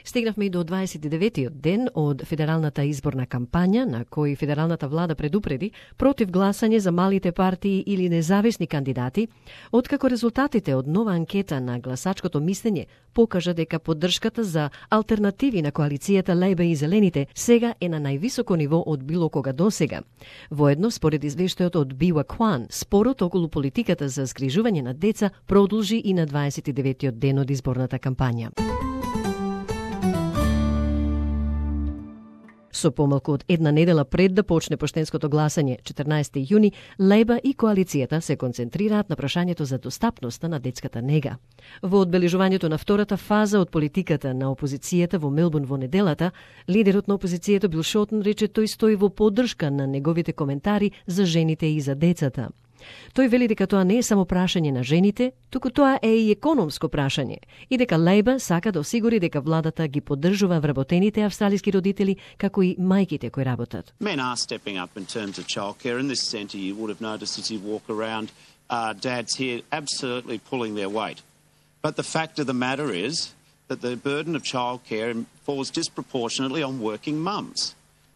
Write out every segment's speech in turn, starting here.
Стигнавме и до 29-тиот ден од федералната изборна кампања, на кој федералната влада предупреди против гласање за малите партии или независни кандидати, откако резултатите од нова анкета на гласачкото мислење покажа дека поддршката за алтернативи на коалицијата Лејба и Зелените сега е на највисоко ниво од било кога досега. Воедно, според извештајот од Бива Кван, спорот околу политиката за згрижување на деца продолжи и на 29-тиот ден од изборната кампања. Со помалку од една недела пред да почне поштенското гласање, 14 јуни, Лејба и коалицијата се концентрираат на прашањето за достапноста на детската нега. Во одбележувањето на втората фаза од политиката на опозицијата во Мелбурн во неделата, лидерот на опозицијата Бил Шортен рече тој стои во поддршка на неговите коментари за жените и за децата. Тој вели дека тоа не е само прашање на жените, туку тоа е и економско прашање и дека Лејба сака да осигури дека владата ги поддржува вработените австралиски родители, како и мајките кои работат. Men are stepping up in terms of childcare. In this centre, you would have noticed as you walk around, dads here absolutely pulling their weight. But the fact of the matter is that the burden of childcare falls disproportionately on working mums.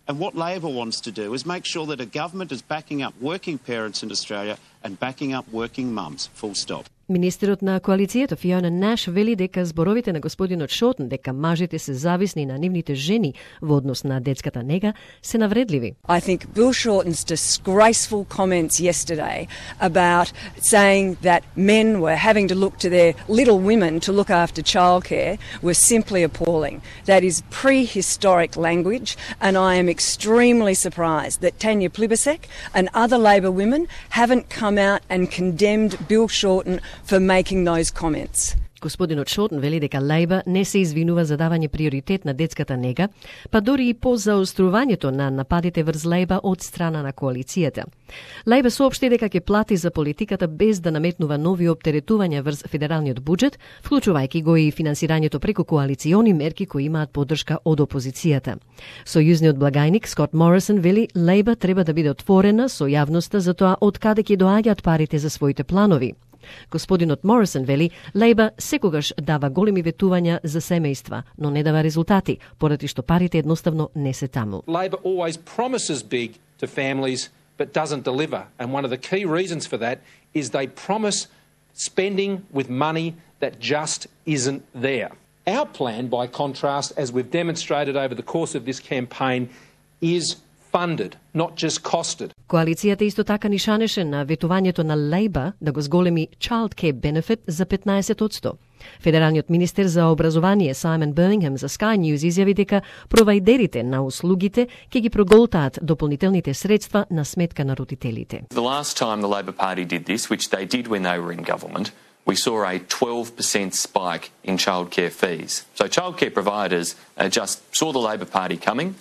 And what Labor wants to do is make sure that a government is backing up working parents in Australia and backing up working mums, full stop. Министерот на коалицијата Фиона Наш вели дека зборовите на господинот Шортен дека мажите се зависни на нивните жени во однос на детската нега се навредливи. I think Bill Shorten's disgraceful comments yesterday about saying that men were having to look to their little women to look after childcare were simply appalling. That is prehistoric language, and I am extremely surprised that Tanya Plibersek and other Labor women haven't come out and condemned Bill Shorten for making those comments. Господинот Шортен вели дека Лејба не се извинува за давање приоритет на детската нега, па дори и по заострувањето на нападите врз Лејба од страна на коалицијата. Лејба соопшти дека ќе плати за политиката без да наметнува нови оптеретувања врз федералниот буџет, вклучувајќи го и финансирањето преку коалициони мерки кои имаат поддршка од опозицијата. Сојузниот благајник Скот Морисон вели Лејба треба да биде отворена со јавноста за тоа од каде ќе доаѓаат парите за своите планови. Господинот Морисон вели Лејба секогаш дава големи ветувања за семејства, но не дава резултати, поради што парите едноставно не се таму. Labor always promises big to families but doesn't deliver, and one of the key reasons for that is they promise spending with money that just isn't there. Our plan, by contrast, as we've demonstrated over the course of this campaign, is funded, not just costed. Коалицијата исто така нишанеше на ветувањето на Лејба да го зголеми Child Care Benefit за 15%. Федералниот министер за образование Саймон Бирмингем за Sky News изјави дека провајдерите на услугите ќе ги проголтаат дополнителните средства на сметка на родителите. The last time the Labor Party did this, which they did when they were in government, we saw a 12% spike in childcare fees. So childcare providers just saw the Labor Party coming,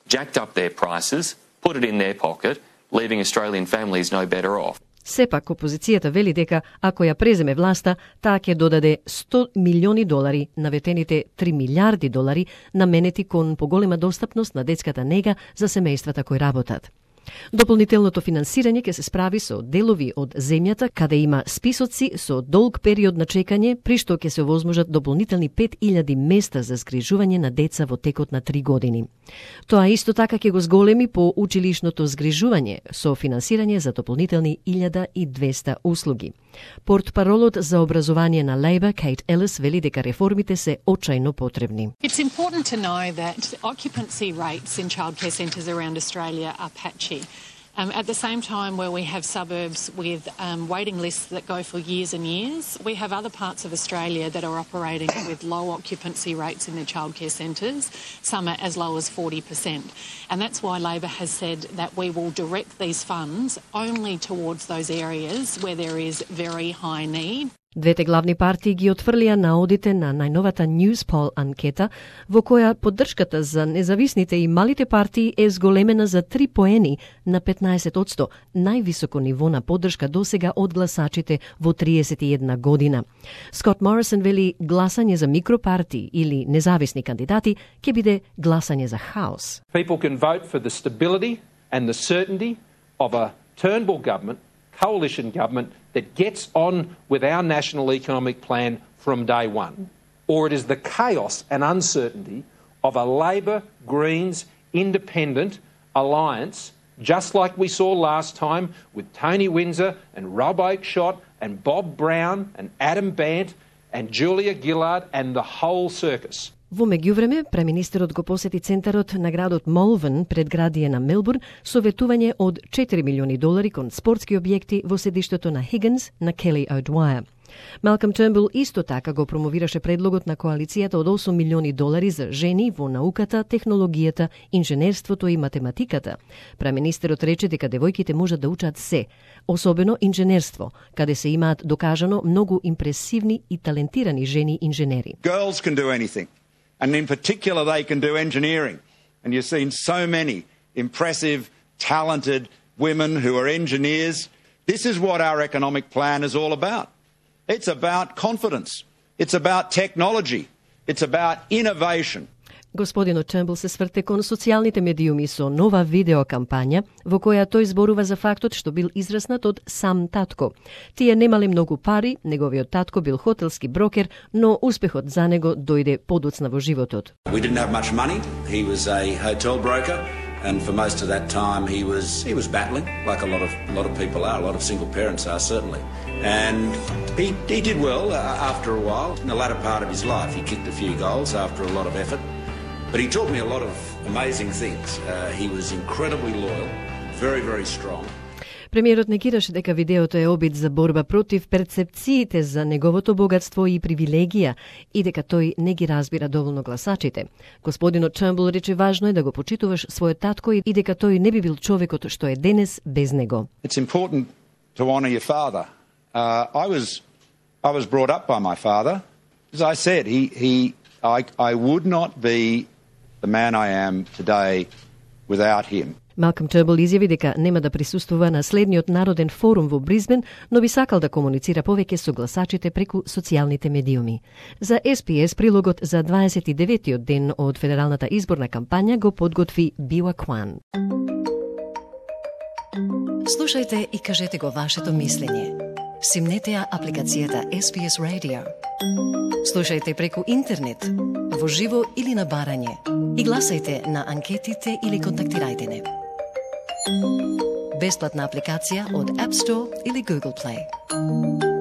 jacked up their prices, put it in their pocket, leaving Australian families no better off. Сепак, опозицијата вели дека ако ја преземе власта, таа ќе додаде $100 милиони на ветените $3 милиарди наменети кон поголема достапност на детската нега за семејствата кои работат. Дополнителното финансирање ќе се справи со делови од земјата каде има списоци со долг период на чекање, при што ќе се овозможат дополнителни 5000 места за згрижување на деца во текот на 3 години. Тоа исто така ќе го зголеми по училишното згрижување со финансирање за дополнителни 1200 услуги. Портпаролот за образование на Лејба, Кейт Елис, вели дека реформите се очајно потребни. It's important to know that occupancy rates in childcare centres around Australia are patchy. At the same time, where we have suburbs with waiting lists that go for years and years, we have other parts of Australia that are operating with low occupancy rates in their childcare centres, some are as low as 40%. And that's why Labor has said that we will direct these funds only towards those areas where there is very high need. Двете главни партии ги отфрлија наодите на најновата Newspoll анкета, во која поддршката за независните и малите партии е зголемена за 3 поени на 15%, највисоко ниво на поддршка досега од гласачите во 31 година. Скот Морисон вели гласање за микропартии или независни кандидати ќе биде гласање за хаос. People can vote for the stability and the certainty of a Turnbull government, coalition government that gets on with our national economic plan from day one. or it is the chaos and uncertainty of a Labor, Greens, Independent alliance, just like we saw last time with Tony Windsor and Rob Oakeshott and Bob Brown and Adam Bant and Julia Gillard and the whole circus. Во меѓувреме, преминистерот го посети центарот на градот Молвен, предградие на Мелбурн, со ветување од $4 милиони кон спортски објекти во седиштето на Higgins на Kelly O'Dwyer. Малком Тернбул исто така го промовираше предлогот на коалицијата од $8 милиони за жени во науката, технологијата, инженерството и математиката. Преминистерот рече дека девојките можат да учат се, особено инженерство, каде се имаат докажано многу импресивни и талентирани жени инженери. Girls can do anything, and in particular they can do engineering. And you've seen so many impressive, talented women who are engineers. This is what our economic plan is all about. It's about confidence. It's about technology. It's about innovation. Господинот Тернбул се сврте кон социјалните медиуми со нова видеокампања во која тој зборува за фактот што бил израснат од сам татко. Тие немале многу пари, неговиот татко бил хотелски брокер, но успехот за него дојде подоцна во животот. We didn't have much money. He was a hotel broker. And for most of that time, he was battling, like a lot of people are, a lot of single parents are certainly. And he did well after a while. In the latter part of his life, he kicked a few goals after a lot of effort. But he taught me a lot of amazing things. He was incredibly loyal, very, very strong. Премиерот негираше дека видеото е обид за борба против перцепциите за неговото богатство и привилегија и дека тој не ги разбира доволно гласачите. Господинот Тернбул рече важно е да го почитуваш својот татко и дека тој не би бил човекот што е денес без него. It's important to honor your father. I was brought up by my father. As I said, I would not be the man I am today without him. Малком Тернбул изјави дека нема да присуствува на следниот народен форум во Бризбен, но би сакал да комуницира повеќе со гласачите преку социјалните медиуми. За SPS прилогот за 29-тиот ден од федералната изборна кампања го подготви Бива Кван. Слушајте и кажете го вашето мислење. Симнете ја апликацијата SPS Radio. Слушајте преку интернет, во живо или на барање. И гласајте на анкетите или контактирајте не. Бесплатна апликација од App Store или Google Play.